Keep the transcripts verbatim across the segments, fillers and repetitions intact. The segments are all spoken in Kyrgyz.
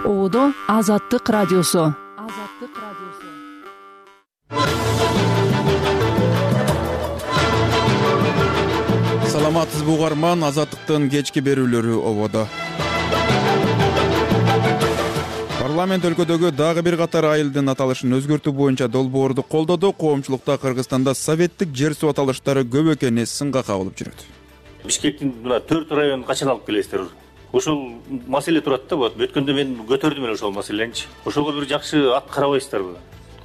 Ободо Азаттык радиосу. Азаттык радиосу. Саламатсызбы угарман, Азаттыктын кечки берүүлөрү ободо. Парламент өлкөдөгү дагы бир катар айылдын аталышын өзгөртүү боюнча долбоорду колдоду. Коомчулукта Кыргызстанда советтик жер суу аталыштары көп экени сынга кабылып жүрөт. Бишкектин мына төрт районун качан алып келесиздер? Ошол маселе турат да, вот өткөндө мен көтөрдүм эле ошол маселеничи. Ошого бир жакшы ат карабайсыздарбы?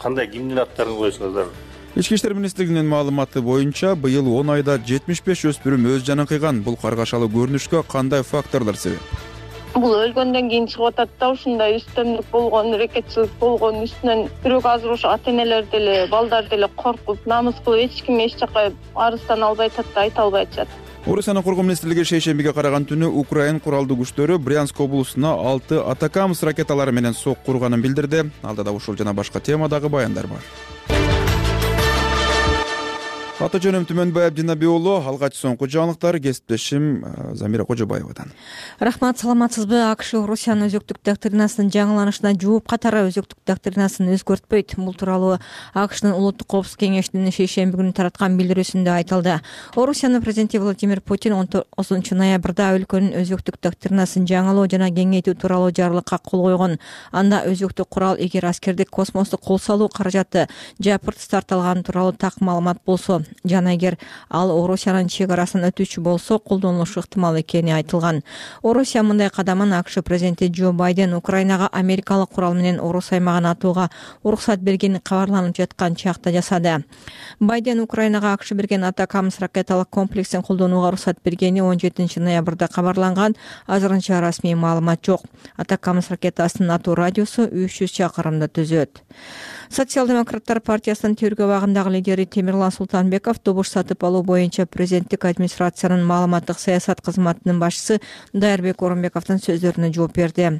Кандай кимдин аттарын коесуңуздар? Ички иштер министрлигинин маалыматы боюнча быйыл он айда жетимиш беш өспүрүм өз жанын кыйган. Бул каргашалуу көрүнүшкө кандай факторлор себеп? Бул өлгөндөн кийин чыгып атат да, ушундай үстөмдүк болгон, рекетчилик болгон, үстүнөн бирок азыр ошо ата-энелер деле, балдар деле коркуп, намыс кылып эч ким эч жака арыздан албай атат да, айта албай атышат. Орусиянын коргоо министрлиги шейшембиге караган түнү Украин куралдуу күчтөрү Брянск облусуна алты Атакамс ракеталары менен сокку курганын билдирди. Алдыда ушул жана башка темадагы баяндар бар. Аты жөнүм Түмөнбай Абдинаби уулу. Алгач соңку жаңылыктар кесиптешим Замира Кожобаевадан. Рахмат, саламатсызбы? АКШ Орусиянын өзөктүк доктринасынын жаңыланышына жооп катары өзөктүк доктринасын өзгөртпөйт. Бул тууралуу АКШнын улуттук коопсуздук кеңешинин шейшемби күнү тараткан билдирүүсүндө айтылды. Орусиянын президенти Владимир Путин он тогузунчу ноябрда өлкөнүн өзөктүк доктринасын жаңылоо жана кеңейтүү тууралуу жарлыкка кол койгон. Анда өзөктүк курал эгер аскердик космосту кол салуу каражаты жапырт тартылган тууралуу так маалымат болсо жана эгер ал Орусиянын чек арасын өтүүчү болсо колдонулушу ыктымал экени айтылган. Орусия мындай кадамын АКШ президенти Джо Байден Украинага америкалык курал менен Орус аймагын атууга уруксат бергени кабарланып жаткан чакта жасады. Байден Украинага АКШ берген Атакамс ракеталык комплексин колдонууга уруксат бергени он жетинчи ноябрда кабарланган. Азырынча расмий маалымат жок. Атакамс ракетасынын атуу радиусу үч жүз чакырымды түзөт. Социал-демократтар партиясынын тергөө абагындагы лидери Темирлан Султанбеков добуш сатып алуу боюнча президенттик администрациянын маалыматтык саясат кызматынын башчысы Дайырбек Орунбековдун сөздөрүнө жооп берди.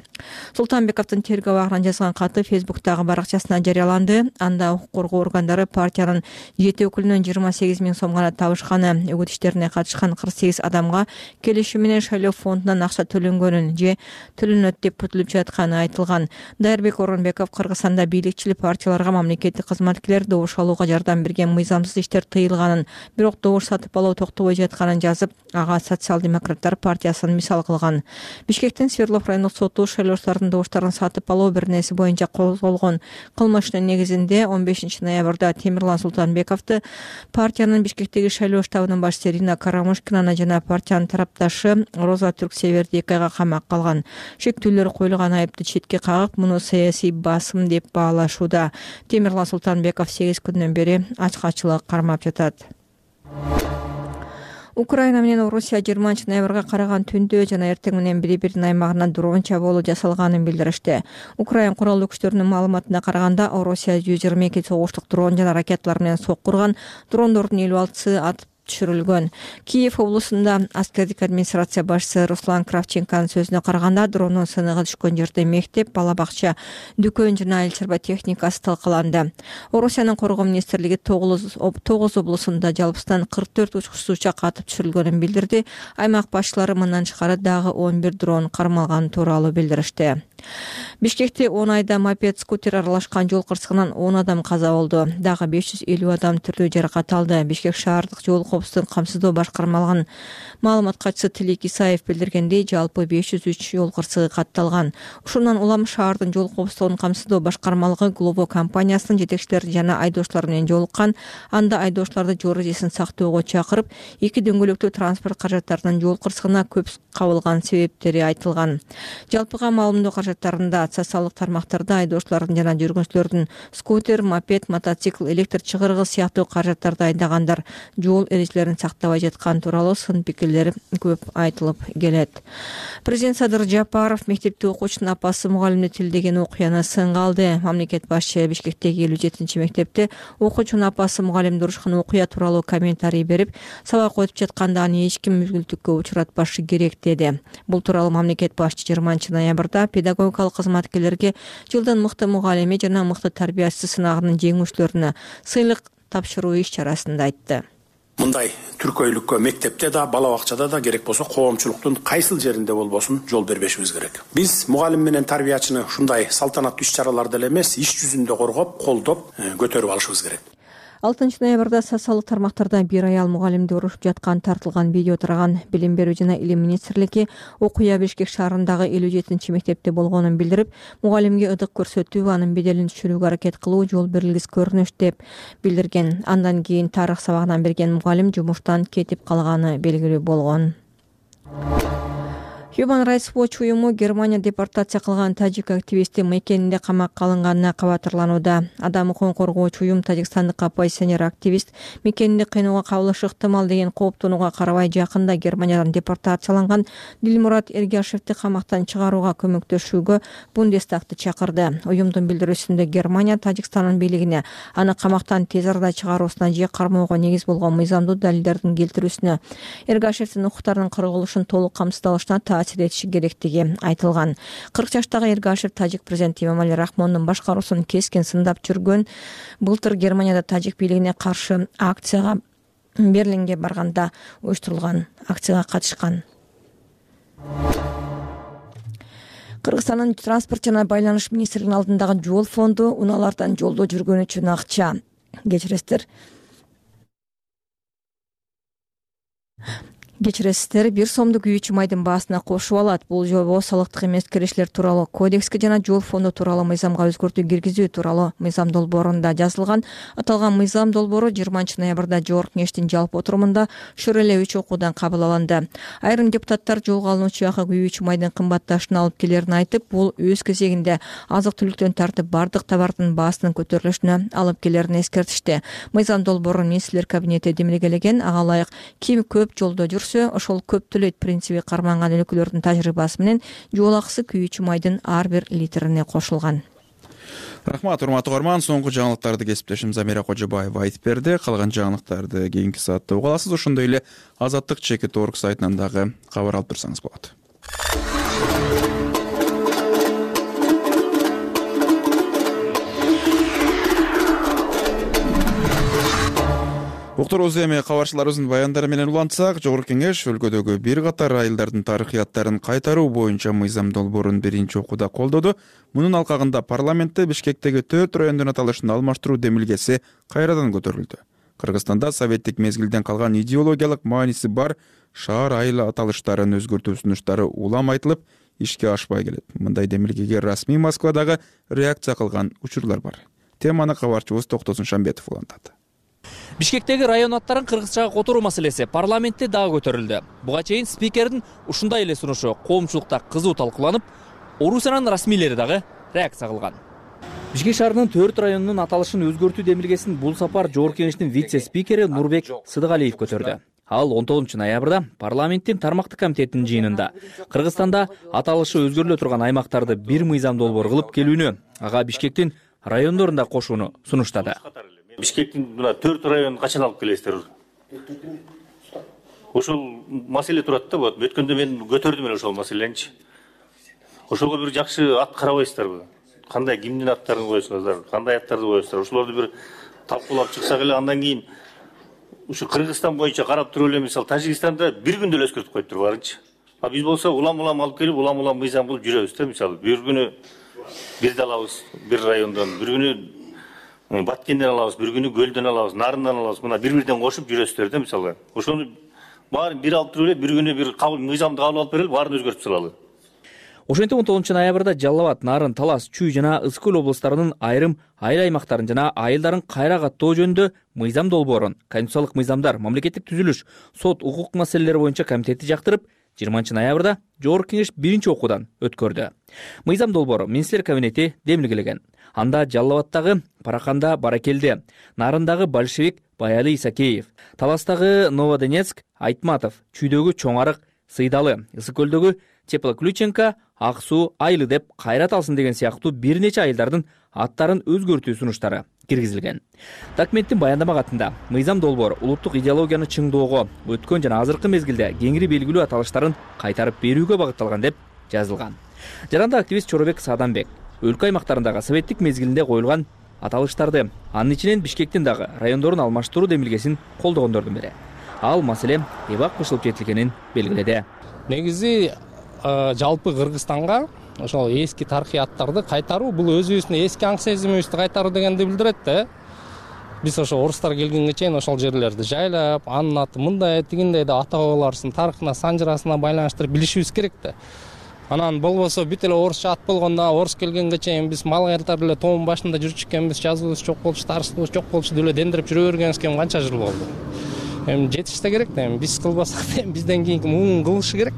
Султанбековдун тергөө абагынан жазган каты Фейсбуктагы баракчасына жарыяланды. Анда укук коргоо органдары партиянын жети өкүлүнөн жыйырма сегиз миң сом гана табышканы, үгүт иштерине катышкан кырк сегиз адамга келишим менен шайлоо фондунан акча төлөнгөнүн же төлөнөт деп күтүлүп жатканы айтылган. Дайырбек Орунбеков Кыргызстанда бийликчил партиялар мамлекеттик кызматкерлер добуш алууга жардам берген мыйзамсыз иштер тыйылганын, бирок добуш сатып алуу токтобой жатканын жазып, ага Социал-демократтар партиясын мисал кылган. Бишкектин Свердлов райондук соту шайлоочулардын добуштарын сатып алуу беренеси боюнча козголгон кылмыштын негизинде он бешинчи ноябрда Темирлан Султанбековду партиянын Бишкектеги шайлоо штабынын башчысы Ирина Карамушкинаны жана партиянын тарапташы Роза Түрксеверди эки айга камакка алган. Шектүүлөр коюлган айыпты четке кагып, муну саясий басым деп баалашууда. Темирлан Султанбеков сегиз күндөн бери ачкачылык кармап жатат. Украина менен Орусия жыйырманчы ноябрга караган түндө жана эртең менен бири-биринин аймагына дрон чабуулу жасалганын билдиришти. Украин куралдуу күчтөрүнүн маалыматына караганда, Орусия жүз жыйырма эки согуштук дрон жана ракеталар менен сокку урган. Дрондордун элүү алтысы атып түшүрүлгөн. Киев облусунда аскердик администрация башчысы Руслан Кравченконун сөзүнө караганда, дрондун сыныгы түшкөн жерде мектеп, бала бакча, дүкөн жана эл чарба техникасы талкаланды. Орусиянын коргоо министрлиги тогуз облусунда жалпысынан кырк төрт учкучсуз учак атып түшүрүлгөнүн билдирди. Аймак башчылары мындан тышкары дагы он бир дрон кармалганы тууралуу билдиришти. Бишкекте он айда мопед, скутер аралашкан жол кырсыгынан он адам каза болду. Дагы беш жүз элүү адам түрдүү жаракат алды. Бишкек шаардык жол коопсуздугун камсыздоо башкармалыгынын маалымат катчысы Тилек Исаев билдиргендей, жалпы беш жүз үч жол кырсыгы катталган. Ушундан улам шаардын жол коопсуздугун камсыздоо башкармалыгы Глово компаниясынын жетекчилери жана айдоочулар менен жолуккан. Анда айдоочуларды жол эрежесин сактоого чакырып, эки дөңгөлөктүү транспорт каражаттарынын жол кырсыгына көп кабылган себептери айтылган. Жалпыга маалымдоо каражаттарында социалдык тармактарда айдоочулардын жана жүргүнчүлөрдүн скутер, мопед, мотоцикл, электр чыгыргы сыяктуу каражаттарды айдагандар жол эрежелерин сактабай жаткан тууралуу сын пикирлер көп айтылып келет. Президент Садыр Жапаров мектепте окуучунун апасы мугалимди тилдеген окуяны сынга алды. Мамлекет башчы Бишкектеги элүү жетинчи мектепте окуучунун апасы мугалимди урушкан окуя тууралуу комментарий берип, сабак өтүп жатканда аны эч ким мүлгүлтүккө учуратпашы керек деди. Бул тууралуу мамлекет башчы жыйырманчы ноябрда педагогикалык кызматкерлерге жылдын мыкты мугалими жана мыкты тарбиячысы сынагынын жеңүүчүлөрүнө сыйлык тапшыруу иш чарасында айтты. Мындай түркөйлүккө мектепте да, бала бакчада да, керек болсо коомчулуктун кайсыл жеринде болбосун жол бербешибиз керек. Биз мугалим менен тарбиячыны ушундай салтанаттуу иш-чараларда эле эмес, иш жүзүндө коргоп, колдоп, көтөрүп алышыбыз керек. алтынчы ноябрда социалдык тармактарда бир аял мугалимди урушуп жаткан тартылган видео тараган. Билим берүү жана илим министрлиги окуя Бишкек шаарындагы элүү жетинчи мектепте болгонун билдирип, мугалимге ыдык көрсөтүү, анын беделин түшүрүүгө аракет кылуу жол берилгис көрүнүш деп билдирген. Андан кийин тарых сабагынан берген мугалим жумуштан кетип калганы белгилүү болгон. Human Rights Watch уюму Германия депортация кылган тажик активисти мекенинде камакка алынганына кабатырланууда. Адам укугун коргоочу уюм тажикстандык оппозиционер активист мекенинде кыйноого кабылышы ыктымал деген кооптонууга карабай жакында Германиядан депортацияланган Дилмурат Эргашевди камактан чыгарууга көмөктөшүүгө Бундестагты чакырды. Уюмдун билдирүүсүндө Германия Тажикстандын бийлигине аны камактан тез арада чыгаруусуна же кармоого негиз болгон мыйзамдуу далилдердин келтирүүсүнө, Эргашевдин укуктарынын корголушун толук камсыздалышына таасир этиши керектиги айтылган. кырк жаштагы Эргашев тажик президенти Эмомали Рахмондун башкаруусун кескен сындап жүргөн. Былтыр Германияда тажик бийлигине каршы акцияга Берлинге барганда уюштурулган акцияга катышкан. Кыргызстандын транспорт жана байланыш министрлигинин алдындагы жол фонду унаалардан жолдо жүргөн үчүн акча кечиресиздер. Кечиресиздер, бир сомдук күйүүчү майдын баасына кошуп алат. Бул жобо салыктык эмес кирешилер тууралуу кодекске жана жол фонду тууралуу мыйзамга өзгөртүү киргизүү тууралуу мыйзам долбоорунда жазылган. Аталган мыйзам долбоору жыйырманчы ноябрда Жогорку Кеңештин жалпы отурумунда шыр эле үч окуудан кабыл алынды. Айрым депутаттар жолго алынуучу акы күйүүчү майдын кымбатташына алып келерин айтып, бул өз кезегинде азык-түлүктөн тартып бардык товардын баасынын көтөрүлүшүнө алып келерин эскертишти. Мыйзам долбоорун министрлер кабинети демилгелеген. Ага ылайык ким көп жолдо жүрсө, ошол көп төлөйт принциби карманган өлкөлөрдүн тажрыйбасы менен жол акысы күйүүчү майдын ар бир литрине кошулган. Рахмат, урматтуу угарман. Соңку жаңылыктарды кесиптешим Замира Кожобаева айтып берди. Калган жаңылыктарды кийинки саатта уга аласыз. Ошондой эле Азаттык чекит орг сайтынан дагы кабар алып турсаңыз болот. Уктуруубуз эми кабарчыларыбыздын баяндары менен улантсак, Жогорку Кеңеш өлкөдөгү бир катар айылдардын тарыхыяттарын кайтаруу боюнча мыйзам долбоорун биринчи окууда колдоду. Мунун алкагында парламентте Бишкектеги төрт райондун аталышын алмаштыруу демилгеси кайрадан көтөрүлдү. Кыргызстанда советтик мезгилден калган идеологиялык мааниси бар шаар айыл аталыштарын өзгөртүү сунуштары улам айтылып, ишке ашпай келет. Мындай демилгеге расмий Москвадагы реакция кылган учурлар бар. Теманы кабарчыбыз Токтосун Шамбетов улантат. Бишкектеги район аттарын кыргызчага которуу маселеси парламентте дагы көтөрүлдү. Буга чейин спикердин ушундай эле сунушу коомчулукта кызуу талкууланып, Орусиянын расмийлери дагы реакция кылган. Бишкек шаарынын төрт районунун аталышын өзгөртүү демилгесин бул сапар Жогорку Кеңештин вице-спикери Нурбек Сыдыгалиев көтөрдү. Ал он тогузунчу ноябрда парламенттин тармактык комитетинин жыйынында Кыргызстанда аталышы өзгөрүлө турган аймактарды бир мыйзам долбоор кылып келүүнү, ага Бишкектин райондорунда кошууну сунуштады. Бишкектин мына төрт районун качан алып келесиздер? Ошол маселе турат да, вот өткөндө мен көтөрдүм эле ошол маселеничи. Ошого бир жакшы ат карабайсыздарбы? Кандай кимдин аттарын коесуңуздар, кандай аттарды коесуңуздар? Ошолорду бир талкуулап чыксак эле, андан кийин ушу Кыргызстан боюнча карап туруп эле, мисалы Тажикстанда бир күндө эле өзгөртүп коюптур баарынчы. А биз болсо улам-улам алып келип, улам-улам мыйзам кылып жүрөбүз да, мисалы бир күнү бирди алабыз, бир райондон, бир күнү Баткенден алабыз, бир күнү Көлдөн алабыз, Нарындан алабыз. Мына бир-бирден кошуп жүрөсүздөр да, мисалы. Ошону баарын бир алып туруп эле, бир күнү бир кабыл мыйзамды кабыл алып берели, баарын өзгөртүп салалы. Ошентип он тогузунчу ноябрда Жалал Абад, Нарын, Талас, Чүй жана Ысык Көл облустарынын айрым айыл аймактарын жана айылдарын кайра каттоо жөнүндө мыйзам долбоорун Конституциялык мыйзамдар, мамлекеттик түзүлүш, сот, укук маселелери боюнча комитети жактырып, жыйырманчы ноябрда Жогорку Кеңеш биринчи окуудан өткөрдү. Мыйзам долбоору министрлер кабинети демилгелеген. Анда Жалал Абадтагы Параканда Баракелде, Нарындагы Большевик Баяли Исакеев, Таластагы Новодонецк Айтматов, Чүйдөгү Чоң Арык Сыйдалы, Ысык Көлдөгү Теплоключенко Ак Суу Айылы деп кайрат алсын деген сыяктуу бир нече айылдардын аттарын өзгөртүү сунуштары киргизилген. Документтин баяндама катында мыйзам долбоор улуттук идеологияны чыңдоого, өткөн жана азыркы мезгилде кеңири белгилүү аталыштарын кайтарып берүүгө багытталган деп жазылган. Жаранда активист Чоробек Сааданбек өлкө аймактарындагы советтик мезгилинде коюлган аталыштарды, анын ичинен Бишкектин дагы райондорун алмаштыруу демилгесин колдогондордун бири. ал маселе эбак кышылып жетилгенин белгиледи. Негизи жалпы Кыргызстанга ошол эски тарыхый аттарды кайтаруу бул өзүбүздүн эски аң сезимибизди кайтаруу дегенди билдирет да. Биз ошо орустар келгенге чейин ошол жерлерди жайлап, анын аты мындай тигиндей деп ата бабаларыбыздын тарыхына, санжырасына байланыштырып билишибиз керек да. Анан болбосо бүт эле орусча ат болгондо, орус келгенге чейин биз мал кайтарып эле тоонун башында жүрчү экенбиз, жазуубуз жок болчу, тарыхыбыз жок болчу деп эле дендирип жүрө бергенибизге канча жыл болду. Эми жетиште керек да, эми биз кылбасак да бизден кийинки муун кылышы керек.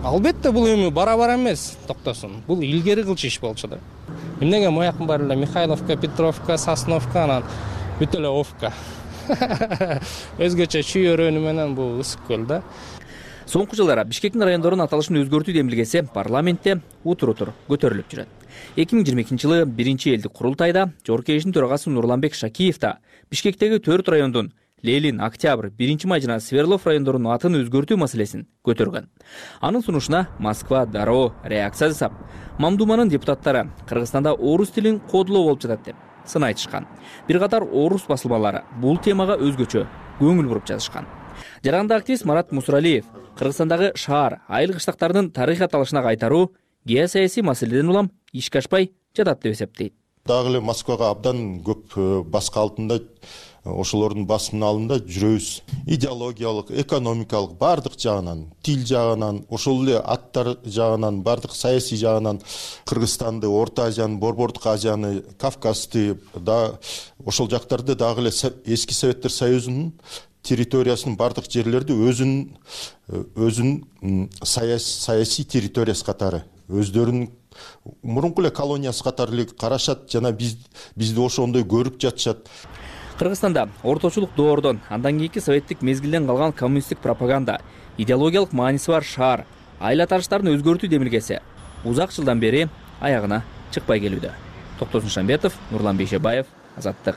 Албетте бул эми бара-бара эмес токтосун. Бул илгери кылчу иш болчу да. Эмнеге моякын баары эле Михайловка, Петровка, Сосновка, анан бүт эле Овка. Өзгөчө чүйөрөнү менен бул ысык көл да. Соңку жылдары Бишкектин райондорунун аталышын өзгөртүү демилгеси парламентте утур-утур көтөрүлүп жүрөт. эки миң жыйырма экинчи жылы биринчи элдик курултайда Жогорку Кеңештин төрагасы Нурланбек Шакиев да Бишкектеги төрт райондун Ленин, Октябрь, биринчи май жана Свердлов райондорунун атын өзгөртүү маселесин көтөргөн. Анын сунушуна Москва дароо реакция жасап, Мамдуманын депутаттары Кыргызстанда орус тилин кодулоо болуп жатат деп сын айтышкан. Бир катар орус басылмалары бул темага өзгөчө көңүл буруп жазышкан. Жаранда активист Марат Мусуралиев Кыргызстандагы шаар, айыл кыштактардын тарыхый аталышына кайтаруу геосаясий маселеден улам ишке ашпай жатат деп эсептейт. Дагы эле Москвага абдан көп баска алтында ошолордун басымын алында жүрөбүз. Идеологиялык, экономикалык бардык жагынан, тил жагынан, ошол эле аттар жагынан, бардык саясий жагынан Кыргызстанды, Орто Азияны, Борбордук Азияны, Кавказды да ошол жактарды дагы эле эски Советтер Союзунун территориясынын бардык жерлерди өзүнүн өзүнүн саясий территориясы катары, өздөрүнүн мурунку эле колониясы катары эле карашат жана биз бизди ошондой көрүп жатышат. Кыргызстанда орточулук доордон, андан кийинки советтик мезгилден калган коммунисттик пропаганда, идеологиялык мааниси бар шаар, айыл аталыштарын өзгөртүү демилгеси узак жылдан бери аягына чыкпай келүүдө. Токтосун Шамбетов, Нурлан Бейшебаев, Азаттык.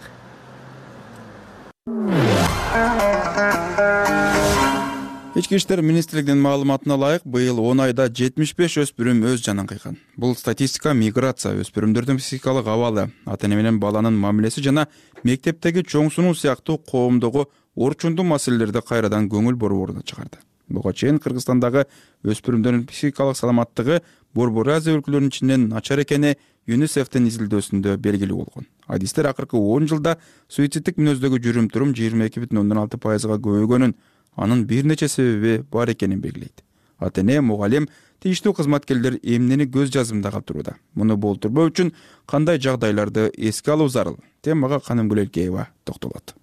Ички иштер министрлигинин маалыматына ылайык, быйыл он айда жетимиш беш өспүрүм өз жанын кыйган. Бул статистика миграция, өспүрүмдөрдүн психикалык абалы, ата-эне менен баланын мамилеси жана мектептеги чоң сунуу сыяктуу коомдогу орчундуу маселелерди кайрадан көңүл буруу ордуна чыгарды. Буга чейин Кыргызстандагы өспүрүмдөрдүн психикалык саламаттыгы Борбор Азия өлкөлөрүнүн ичинен начар экени ЮНИСЕФтин изилдөөсүндө белгилүү болгон. Адистер акыркы он жылда суициддик мүнөздөгү жүрүм-турум жыйырма эки бүтүн ондон алты пайызга көбөйгөнүн, анын бир нече себеби бар экенин белгилейт. Ата-эне, мугалим, тийиштүү кызматкерлер эмнени көз жазымда калтырууда. Муну болтурбоо үчүн кандай жагдайларды эске алуу зарыл? Темага Канымгүл Элкеева токтолот.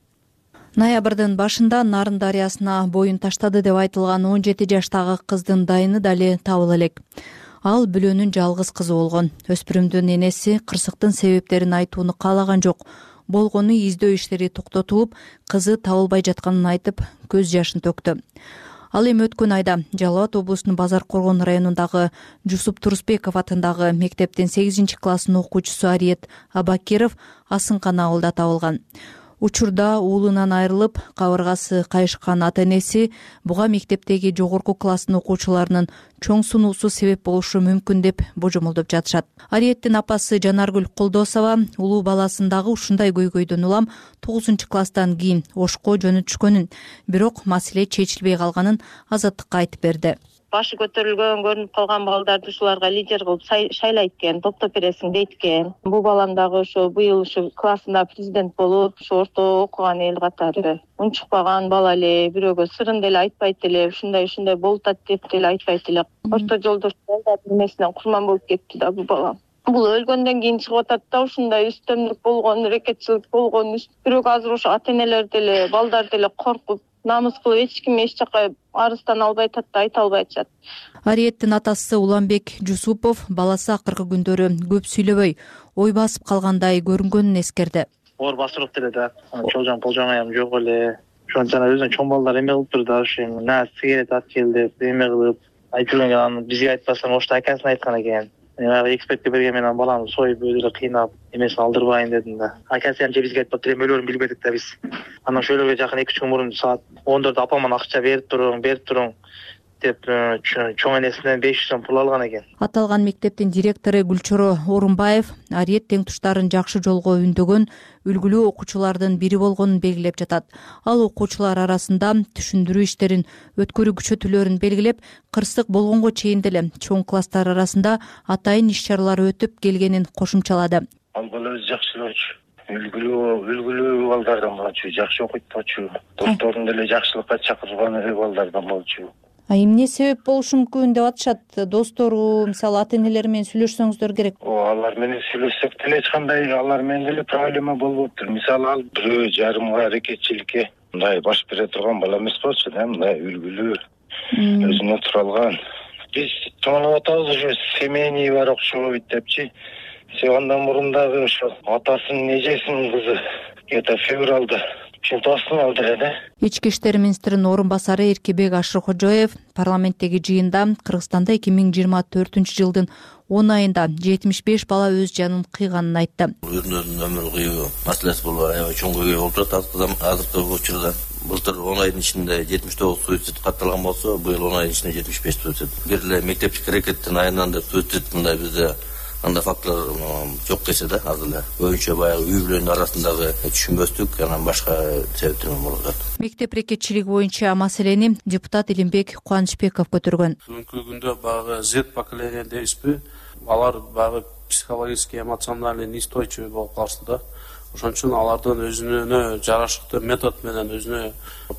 Ноябрдын башында Нарын дарыясына боюн таштады деп айтылган он жети жаштагы кыздын дайыны дали табыла элек. Ал бүлөнүн жалгыз кызы болгон. Өспүрүмдүн энеси кырсыктын себептерин айтууну каалаган жок. Болгону издөө иштери токтотулуп, кызы табылбай жатканын айтып, көз жашын төктү. Ал эми өткөн айда Жалал Абад облусунун Базар Коргон районундагы Жусуп Турусбеков атындагы мектептин сегизинчи класстын окуучусу Ариет Абакиров Асынкан ауылда табылган. Учурда уулунан айрылып, кабыргасы кайышкан ата-энеси буга мектептеги жогорку класстын окуучуларынын чоң сунуусу себеп болушу мүмкүн деп божомолдоп жатышат. Ариеттин апасы Жанаргүл Колдосова улуу баласын дагы ушундай көйгөйдөн улам тогузунчу класстан кийин Ошко жөнөтүшкөнүн, бирок маселе чечилбей калганын Азаттыкка айтып берди. Башы көтөрүлгөн, көрүнүп калган балдарды ушуларга лидер кылып шайлайт экен, топтоп бересиң дейт экен. Бул балам дагы ошо быйыл ушу классында президент болуп, ошо орто окуган эл катары. Унчукпаган бала эле, бирөөгө сырын деле айтпайт эле, ушундай ушундай болуп атат деп деле айтпайт эле. Орто жолдош балдардын эмесинен курман болуп кетти да бул бала. Бул өлгөндөн кийин чыгып атат да, ушундай үстөмдүк болгон, рекетчилик болгон. Бирок азыр ошо ата-энелер деле, балдар деле коркуп, намыс кылып эч ким эч жака арыздан албай атат да, айта албай атышат. Ариеттин атасы Уланбек Жусупов баласы акыркы күндөрү көп сүйлөбөй, ой басып калгандай көрүнгөнүн эскерди. Оор басырып деле да, чолжоң полжоңаям жок эле. Ошон жана өзүнүн чоң балдары эме кылып турду, ошо на сигарет ат кел деп эме кылып айтып жүргөн, аны бизге айтпастан ошто акасына айткан экен. Мен экспертке берген менен баланы союп өзү эле кыйнап эмесин алдырбайын дедим да. Акасы же бизге айтпаптыр, эми өлөрүн билбедик да биз. Анан ошолорго жакын эки үч күн мурун саат он төрттө апама акча берип туруң, берип туруң. деп чоң энесинен беш жүз сом пул алган экен. Аталган мектептин директору Гүлчоро Орунбаев Ариет тең туштарын жакшы жолго үндөгөн үлгүлүү окуучулардын бири болгонун белгилеп жатат. Ал окуучулар арасында түшүндүрүү иштерин өткөрүүчү түлөрүн белгилеп, кырсык болгонго чейин деле чоң класстар арасында атайын иш чаралар өтүп келгенин кошумчалады. Ал бала өзү жакшы болчу. Үлгүлүү, үлгүлүү балдардан болчу, жакшы окуйт болчу. Досторун деле жакшылыкка чакырган балдардан болчу. А эмне себеп болушу мүмкүн деп атышат? Достору, мисалы ата-энелери менен сүйлөшсөңүздөр керек. О, алар менен сүйлөшсөк деле эч кандай алар менен деле проблема болбоптур. Мисалы ал бирөө жарымга аракетчиликке мындай баш бере турган бала эмес болчу да, мындай үлгүлүү, өзүнө тура алган. Биз тоонуп атабыз ушу семейный бар окшобойт депчи. Андан мурун дагы ошо атасынын эжесинин кызы где-то февралда чемпионатын алды эле. Ички иштер министринин орун басары Эркебек Ашыркожоев парламенттеги жыйында Кыргызстанда эки миң жыйырма төртүнчү жылдын он айында жетимиш беш бала өз жанын кыйганын айтты. Өрнөдүн өмүр кыюу маселеси болуп аябай чоң көйгөй болуп жатат азыркы учурда. Былтыр он айдын ичинде жетимиш тогуз суицид катталган болсо, быйыл он айдын ичинде жетимиш беш суицид. Бир эле мектептик аракеттин айынан деп суицид мындай бизде анда факторлор жок десе да, азыр эле көбүнчө баягы үй бүлөнүн арасындагы түшүнбөстүк, анан башка себептер менен болуп жатат. Мектеп рекетчилиги боюнча маселени депутат Илимбек Кубанычбеков көтөргөн. Бүгүнкү күндө баягы Z поколение дейбизби? Алар баягы психологически, эмоциональный неустойчивый болуп калышты да. Ошон үчүн алардын өзүнө жарашыктуу метод менен өзүнө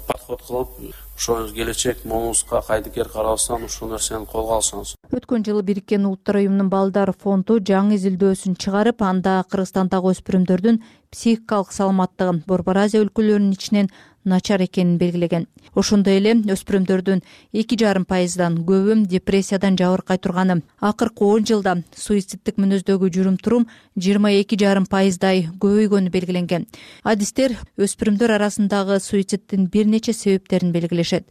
подход кылып, ошо келечек момузга кайдыкер карабастан ушул нерсени колго алсаңыз. Өткөн жылы Бириккен Улуттар уюмунун балдар фонду жаңы изилдөөсүн чыгарып, анда Кыргызстандагы өспүрүмдөрдүн психикалык саламаттыгы Борбор Азия өлкөлөрүнүн ичинен начар экенин белгилеген. Ошондой эле өспүрүмдөрдүн эки жарым пайыздан көбү депрессиядан жабыркай турганы, акыркы он жылда суицидтик мүнөздөгү жүрүм-турум жыйырма эки жарым пайыздай көбөйгөнү белгиленген. Адистер өспүрүмдөр арасындагы суицидтин бир нече себептерин белгилешет.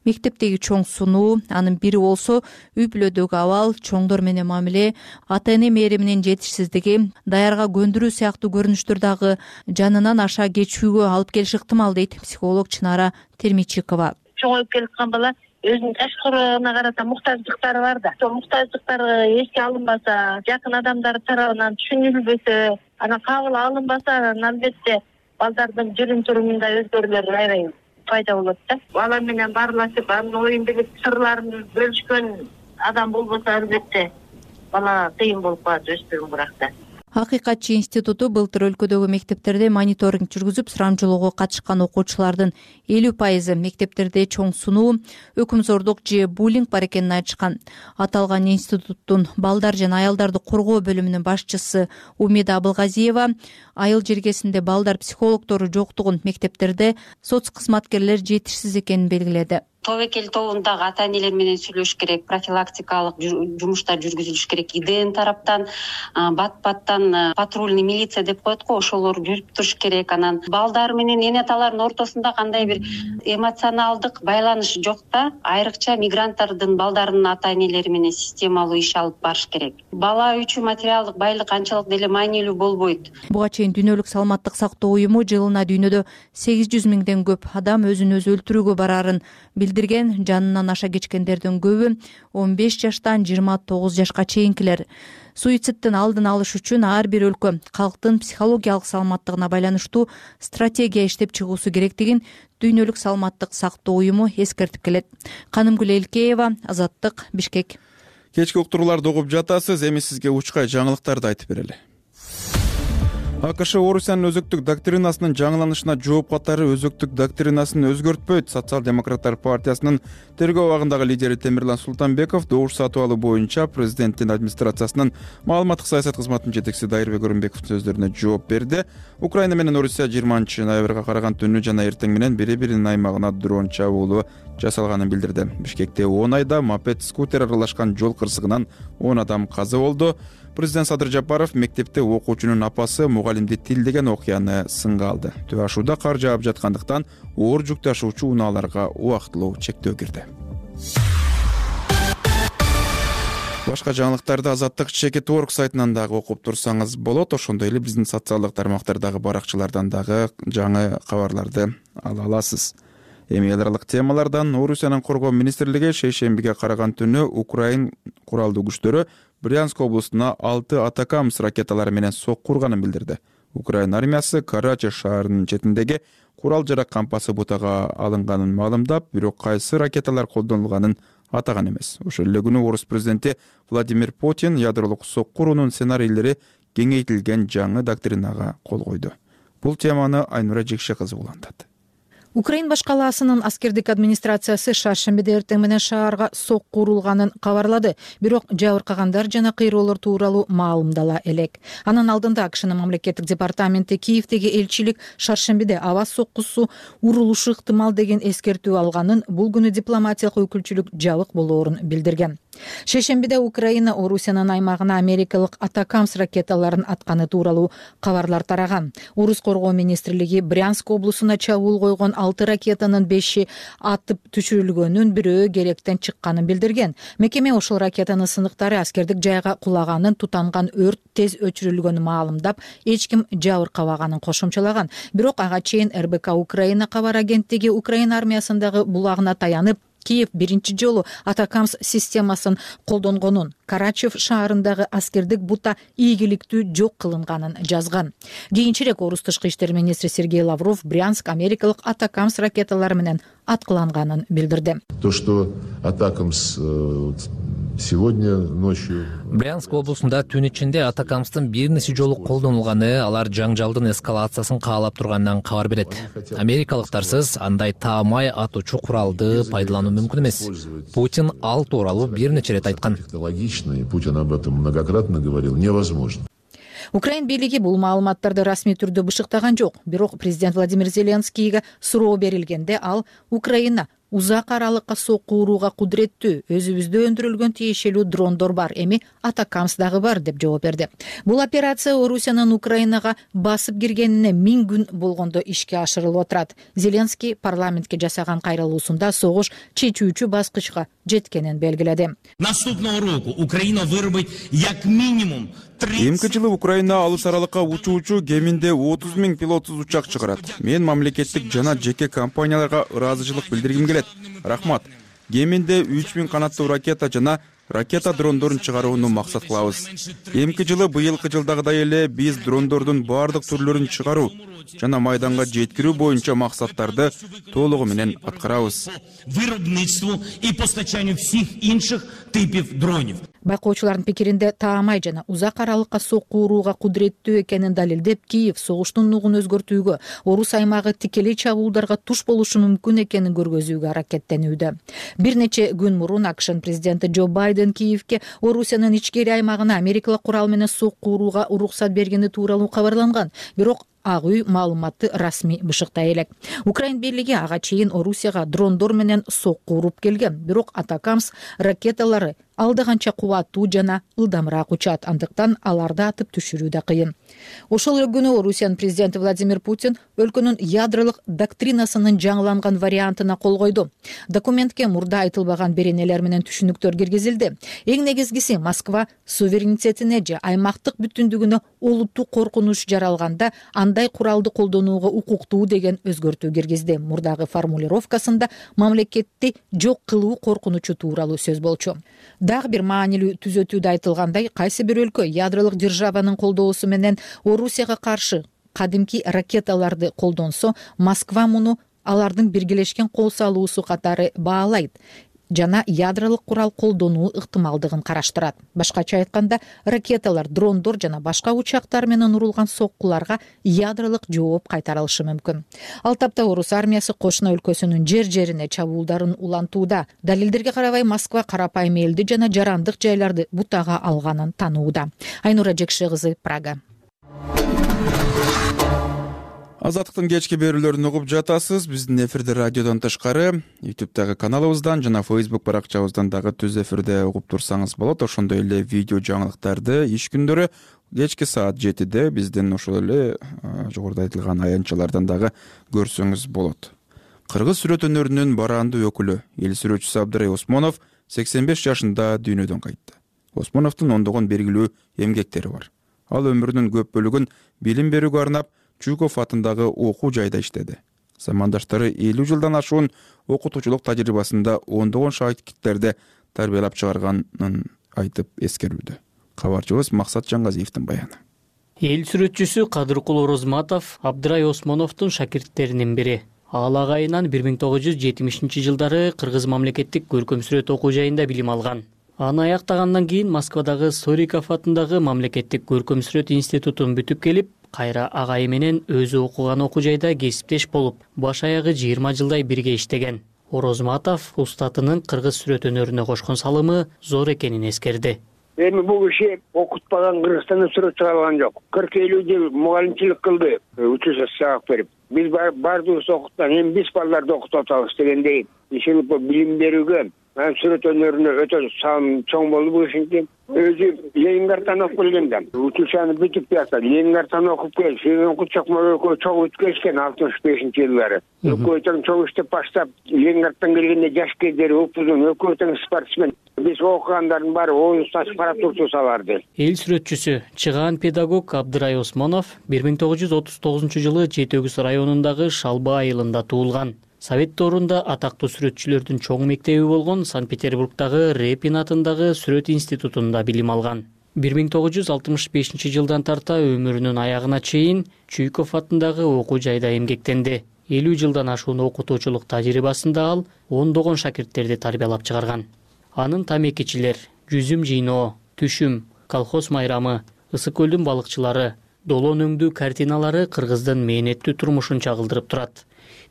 Мектептеги чоң сунуу, анын бири болсо үй бүлөдөгү абал, чоңдор менен мамиле, ата-эне мээриминин жетишсиздиги, даярга көндүрүү сыяктуу көрүнүштөр дагы жанынан аша кечүүгө алып келиши ыктымал дейт психолог Чынара Термичикова. Чоңоюп келаткан бала өзүнүн ташкырына карата муктаждыктары бар да. Ошол муктаждыктары эске алынбаса, жакын адамдар тарабынан түшүнүлбөсө, анан кабыл алынбаса, анан албетте балдардын жүрүм-турумунда өзгөрүүлөр аябай пайда болот да. Алар менен баарлашып, анын оюн билип, сырларын бөлүшкөн адам болбосо, албетте бала кыйын болуп калат өспүрүм уракта. Акыйкатчы институту былтыр өлкөдөгү мектептерде мониторинг жүргүзүп, сурамжылоого катышкан окуучулардын элүү пайызы мектептерде чоң сунуу, өкүмзордук же буллинг бар экенин айтышкан. Аталган институттун балдар жана аялдарды коргоо бөлүмүнүн башчысы Умида Абылгазиева айыл жергесинде балдар психологдору жоктугун, мектептерде соц кызматкерлер жетишсиз экенин белгиледи. Тобокел тобундагы ата-энелер менен сүйлөшүш керек, профилактикалык жумуштар жүргүзүлүш керек. ИДН тараптан, бат-баттан патрульный милиция деп коет го, ошолор жүрүп туруш керек. Анан балдар менен эне аталардын ортосунда кандай бир эмоционалдык байланыш жок да, айрыкча мигранттардын балдарынын ата-энелери менен системалуу иш алып барыш керек. Бала үчүн материалдык байлык анчалык деле маанилүү болбойт. Буга чейин Дүйнөлүк саламаттык сактоо уюму жылына дүйнөдө сегиз жүз миңден көп адам өзүн өзү өлтүрүүгө барарын билдирген. Жанынан аша кечкендердин көбү он беш жаштан жыйырма тогуз жашка чейинкилер. Суицидтин алдын алыш үчүн ар бир өлкө калктын психологиялык саламаттыгына байланыштуу стратегия иштеп чыгуусу керектигин Дүйнөлүк саламаттык сактоо уюму эскертип келет. Канымгүл Элкеева, Азаттык, Бишкек. Кечки уктурууларды угуп жатасыз, эми сизге учкай жаңылыктарды айтып берели. АКШ Орусиянын өзөктүк доктринасынын жаңыланышына жооп катары өзөктүк доктринасын өзгөртпөйт. Социал-демократтар партиясынын тергөө абагындагы лидери Темирлан Султанбеков добуш сатып алуу боюнча президенттин администрациясынын маалыматтык саясат кызматынын жетекчиси Дайырбек Өрүнбековдун сөздөрүнө жооп берди. Украина менен Орусия жыйырманчы ноябрга караган түнү жана эртең менен бири-биринин аймагына дрон чабуулу жасалганын билдирди. Бишкекте он айда мопед, скутер аралашкан жол кырсыгынан он адам каза болду. Президент Садыр Жапаров мектепте окуучунун апасы мугалимди тилдеген окуяны сынга алды. Төө ашууда кар жаап жаткандыктан оор жүк ташуучу унааларга убактылуу чектөө кирди. Башка жаңылыктарды Азаттык Чекит Орг сайтынан дагы окуп турсаңыз болот. Ошондой эле биздин социалдык тармактардагы баракчалардан дагы жаңы кабарларды ала аласыз. Эми эл аралык темалардан Орусиянын коргоо министрлиги шейшембиге караган түнү Украин куралдуу күчтөрү Брянск облусуна алты Атакамс ракеталары менен сокку урганын билдирди. Украин армиясы Карачи шаарынын четиндеги курал жарак кампасы бутага алынганын маалымдап, бирок кайсы ракеталар колдонулганын атаган эмес. Ошол эле күнү орус президенти Владимир Путин ядролук сокку уруунун сценарийлери кеңейтилген жаңы доктринага кол койду. Бул теманы Айнура Жекше кызы улантат. Украин баш калаасынын аскердик администрациясы шаршембиде эртең менен шаарга сокку урулганын кабарлады. Бирок жабыркагандар жана кыйроолор тууралуу маалымдала элек. Анын алдында АКШнын мамлекеттик департаменти Киевдеги элчилик шаршембиде аба соккусу урулушу ыктымал деген эскертүү алганын, бул күнү дипломатиялык өкүлчүлүк жабык болоорун билдирген. Шейшембиде Украина Орусиянын аймагына америкалык Атакамс ракеталарын атканы тууралуу кабарлар тараган. Орус коргоо министрлиги Брянск облусуна чабуул койгон алты ракетанын беши атып түшүрүлгөнүн, бирөө керектен чыкканын билдирген. Мекеме ошол ракетанын сыныктары аскердик жайга кулаганын, тутанган өрт тез өчүрүлгөнүн маалымдап, эч ким жабыркабаганын кошумчалаган. Бирок ага чейин эр бэ ка Украина кабар агенттиги Украина армиясындагы булагына таянып, Киев биринчи жолу Атакамс системасын колдонгонун, Карачев шаарындагы аскердик бута ийгиликтүү жок кылынганын жазган. Кийинчерээк орус тышкы иштер министри Сергей Лавров Брянск америкалык Атакамс ракеталары менен аткыланганын билдирди. То, что Атакамс сегодня ночью Брянск облусунда түн ичинде Атакамстын бир нече жолу колдонулганы алар жаңжалдын эскалациясын каалап турганынан кабар берет. Америкалыктарсыз андай таамай атуучу куралды пайдалануу мүмкүн эмес. Путин ал тууралуу бир нече ирет айткан. Логично, и Путин об этом многократно говорил, невозможно. Украин бийлиги бул маалыматтарды расмий түрдө бышыктаган жок. Бирок президент Владимир Зеленскийге суроо берилгенде ал Украина узак аралыкка сокку урууга кудуреттүү, өзүбүздө өндүрүлгөн тиешелүү дрондор бар, эми Атакамс дагы бар деп жооп берди. Бул операция Орусиянын Украинага басып киргенине миң күн болгондо ишке ашырылып отурат. Зеленский парламентке жасаган кайрылуусунда согуш чечүүчү баскычка жеткенин белгиледи. Наступного року Украина вырубит як минимум Эмки жылы Украина алыс аралыкка учуучу кеминде отуз миң пилотсуз учак чыгарат. Мен мамлекеттик жана жеке компанияларга ыраазычылык билдиргим келет. Рахмат. Кеминде үч миң канаттуу ракета жана ракета дрондорун чыгарууну максат кылабыз. Эмки жылы быйылкы жылдагыдай эле биз дрондордун баардык түрлөрүн чыгаруу жана майданга жеткирүү боюнча максаттарды толугу менен аткарабыз. Виробництву и постачанию всех інших типов дронов. Байкоочулардын пикиринде таамай жана узак аралыкка сокку урууга кудуреттүү экенин далилдеп, Киев согуштун нугун өзгөртүүгө, орус аймагы тикелей чабуулдарга туш болушу мүмкүн экенин көргөзүүгө аракеттенүүдө. Бир нече күн мурун АКШнын президенти Джо Байден Киевке Орусиянын ичкери аймагына америкалык курал менен сокку урууга уруксат бергени тууралуу кабарланган. Бирок Ак үй маалыматты расмий бышыктай элек. Украин бийлиги ага чейин Орусияга дрондор менен сокку уруп келген. Бирок Атакамс ракеталары алдаганча кубаттуу жана ылдамыраак учат, андыктан аларды атып түшүрүү да кыйын. Ошол эле күнү Орусиянын президенти Владимир Путин өлкөнүн ядролук доктринасынын жаңыланган вариантына кол койду. Документке мурда айтылбаган беренелер менен түшүнүктөр киргизилди. Эң негизгиси Москва суверенитетине же аймактык бүтүндүгүнө олуттуу коркунуч жаралганда андай куралды колдонууга укуктуу деген өзгөртүү киргизди. Мурдагы формулировкасында мамлекетти жок кылуу коркунучу тууралуу сөз болчу. Дагы бир маанилүү түзөтүүдө айтылгандай, кайсы бир өлкө ядролук державанын колдоосу менен Орусияга каршы кадимки ракеталарды колдонсо, Москва муну алардын биргелешкен кол салуусу катары баалайт жана ядролук курал колдонуу ыктымалдыгын караштырат. Башкача айтканда, ракеталар, дрондор жана башка учактар менен урулган соккуларга ядролук жооп кайтарылышы мүмкүн. Ал тапта орус армиясы кошуна өлкөсүнүн жер-жерине чабуулдарын улантууда. Далилдерге карабай, Москва карапайым элди жана жарандык жайларды бутага алганын танууда. Айнура Жекше кызы, Прага. Азаттыктын кечки берүүлөрүн угуп жатасыз. Биздин эфирде радиодон тышкары ютубтагы каналыбыздан жана фейсбук баракчабыздан дагы түз эфирде угуп турсаңыз болот. Ошондой эле видео жаңылыктарды иш күндөрү кечки саат жетиде биздин ошол эле жогоруда айтылган аянтчалардан дагы көрсөңүз болот. Кыргыз сүрөт өнөрүнүн барандуу өкүлү, эл сүрөтчүсү Абдрай Осмонов сексен беш жашында дүйнөдөн кайтты. Осмоновдун ондогон белгилүү эмгектери бар. Ал өмүрүнүн көп бөлүгүн билим берүүгө арнап Чуков атындагы окуу жайда иштеди. Замандаштары элүү жылдан ашуун окутуучулук тажрыйбасында ондогон шагирттерди тарбиялап чыгарганын айтып эскерүүдө. Кабарчыбыз Максат Жаңгазиевдин баяны. Эл сүрөтчүсү Кадыркул Орозматов Абдрай Осмоновдун шакирттеринин бири. Ал агайынан бир миң тогуз жүз жетимишинчи жылдары Кыргыз мамлекеттик көркөм сүрөт окуу жайында билим алган. Аны аяктагандан кийин Москвадагы Сориков атындагы мамлекеттик көркөм сүрөт институтун бүтүп келип, кайра агайы менен өзү окуган окуу жайда кесиптеш болуп, баш аягы жыйырма жылдай бирге иштеген. Орозматов устатынын кыргыз сүрөт өнөрүнө кошкон салымы зор экенин эскерди. Эми бул киши окутпаган Кыргызстанда сүрөт чыгара алган жок. кырк элүү жыл мугалимчилик кылды, учурда сабак берип. Биз бардыгыбыз окуткан, эми биз балдарды окутуп атабыз дегендей. Ишин билим берүүгө, сүрөт өнөрүнө өтө салым чоң болду бул кишинин. Өзү Ленинградтан окуп келген да. Учурчаны бүтүп жатат. Ленинградтан окуп кел, сенин окутчак экөө чоң өткөзгөн алтымыш бешинчи жылдары. Экөө тең чоң иштеп баштап, Ленинградтан келгенде жаш кездери упузун, экөө тең спортсмен. Биз окугандардын баары оюн сачып карап турчу саларды. Эл сүрөтчүсү, чыгаан педагог Абдрай Осмонов бир миң тогуз жүз отуз тогузунчу жылы Жети Өгүз районундагы Шалба айылында туулган. Совет доорунда атактуу сүрөтчүлөрдүн чоң мектеби болгон Санкт-Петербургдагы Репин атындагы сүрөт институтунда билим алган. бир миң тогуз жүз алтымыш бешинчи жылдан тарта өмүрүнүн аягына чейин Чуйков атындагы окуу жайда эмгектенди. элүү жылдан ашуун окутуучулук тажрыйбасында ал ондогон шакирттерди тарбиялап чыгарган. Анын тамекичилер, жүзүм жыйноо, түшүм, колхоз майрамы, Ысык көлдүн балыкчылары, долон өңдүү картиналары кыргыздын мээнеттүү турмушун чагылдырып турат.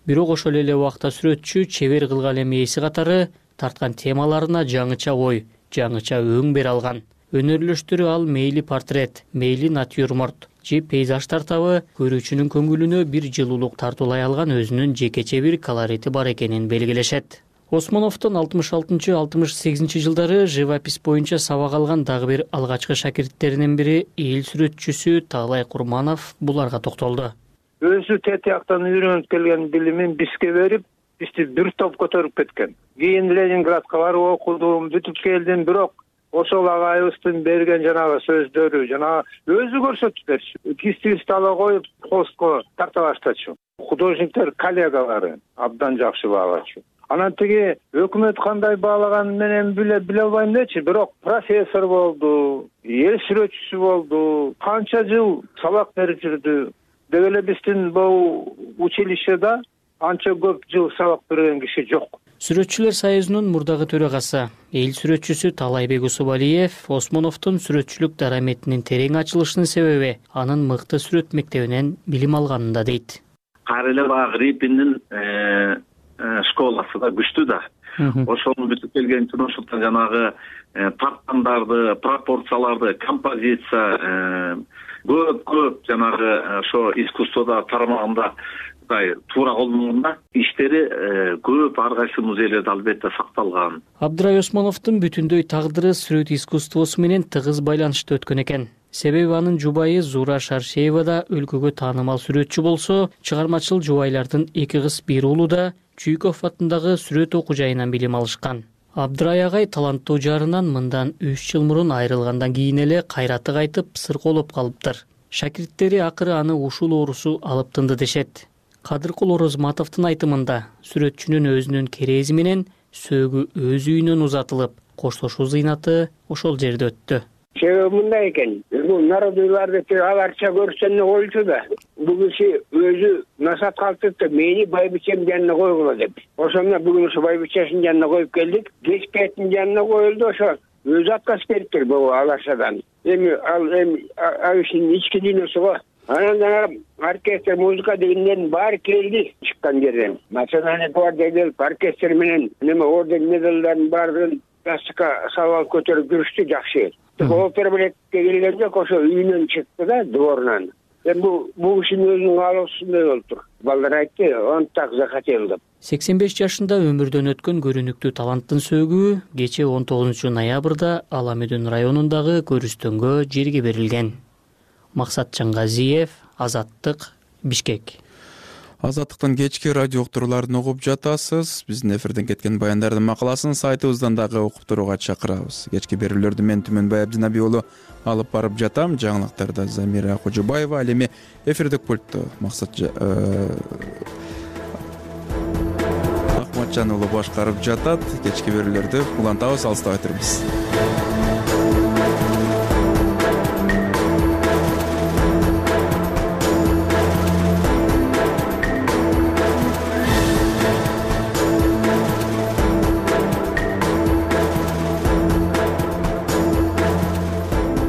Бирок ошол эле убакта сүрөтчү чебер кылгалем ээси катары тарткан темаларына жаңыча ой, жаңыча өң бере алган. Өнөрлөштөрү ал мейли портрет, мейли натюрморт же пейзаж тартабы көрүүчүнүн көңүлүнө бир жылуулук тартуулай алган өзүнүн жекече бир колорити бар экенин белгилешет. Осмоновдун алтымыш алтынчы — алтымыш сегизинчи жылдары живопись боюнча сабак алган дагы бир алгачкы шакирттеринин бири эл сүрөтчүсү Таалай Курманов буларга токтолду. Өзү тетияктан үйрөнүп келген билимин бизге берип, бизди бир топ көтөрүп кеткен. Кийин Ленинградка барып окудум, бүтүп келдим, бирок ошол агайыбыздын берген жанагы сөздөрү, жанагы өзү көрсөтүп берчү. Кистибизди ала коюп, холстко тарта баштачу. Художниктер коллегалары абдан жакшы баалачу. Анан тиги өкмөт кандай баалаганы менен биле биле албайм дечи, бирок профессор болду, эл сүрөтчүсү болду, канча жыл сабак берип жүрдү. Деп эле биздин бул училищеда анча көп жыл сабак берген киши жок. Сүрөтчүлөр союзунун мурдагы төрагасы, эл сүрөтчүсү Талайбек Усубалиев Осмоновдун сүрөтчүлүк дараметинин терең ачылышынын себеби анын мыкты сүрөт мектебинен билим алганында дейт. Кайра эле баягы Репиндин школасы да күчтүү да. Ошону бүтүп келген үчүн ошолдон жанагы парттандарды, пропорцияларды, композиция, көп көп жанагы ошо искусствода тармагында туура колдонгонда иштери көп, ар кайсы музейлерде албетте сакталган. Абдрай Осмоновдун бүтүндөй тагдыры сүрөт искусствосу менен тыгыз байланышта өткөн экен. Себеби анын жубайы Зура Шаршеева да өлкөгө таанымал сүрөтчү болсо, чыгармачыл жубайлардын эки кыз бир уулу да Чуйков атындагы сүрөт окуу жайынан билим алышкан. Абдрай агай таланттуу жарынан мындан үч жыл мурун айрылгандан кийин эле кайраты кайтып сыркоолоп калыптыр. Шакирттери акыры аны ушул оорусу алып тынды дешет. Кадыркул Орозматовдун айтымында сүрөтчүнүн өзүнүн керези менен сөөгү өз үйүнөн узатылып, коштошуу зыйнаты ошол жерде өттү. Себеби мындай экен, бул народуйларды аларча көрсөтүнө коюлчу да. Бул киши өзү насаат калтырды, мени байбичем жанына койгула деп. Ошондо бүгүн ошо байбичесинин жанына коюп келдик. Кечкеттин жанына коюлду, ошо өзү отказ бериптир бул аларчадан. Эми ал эми ал кишинин ички дүйнөсү го. Анан жана оркестр, музыка дегендердин баары келди чыккан жерден. Национальный гвардия келип, оркестр менен неме орден медалдардын баарын ястыкка салып алып көтөрүп жүрүштү жакшы. Опера билетке келген жок, ошо үйүнөн чыкты да, дворунан. Эми бул бул кишинин өзүнүн каалоосундай болуптур. Балдар айтты, он так захотел деп. сексен беш жашында өмүрдөн өткөн көрүнүктүү таланттын сөөгү кечээ он тогузунчу ноябрда Ала Медүн районундагы көрүстөнгө жерге берилген. Максат Жаңгазиев, Азаттык, Бишкек. Азаттыктын кечки радио уктурууларын угуп жатасыз. Биздин эфирден кеткен баяндардын макаласын сайтыбыздан дагы окуп турууга чакырабыз. Кечки берүүлөрдү мен Түмөнбай Абдинаби уулу алып барып жатам. Жаңылыктарда Замира Кожубаева, ал эми эфирдик пультту Максат Бакытжан уулу башкарып жатат. Кечки берүүлөрдү улантабыз, алыстабай турбуз.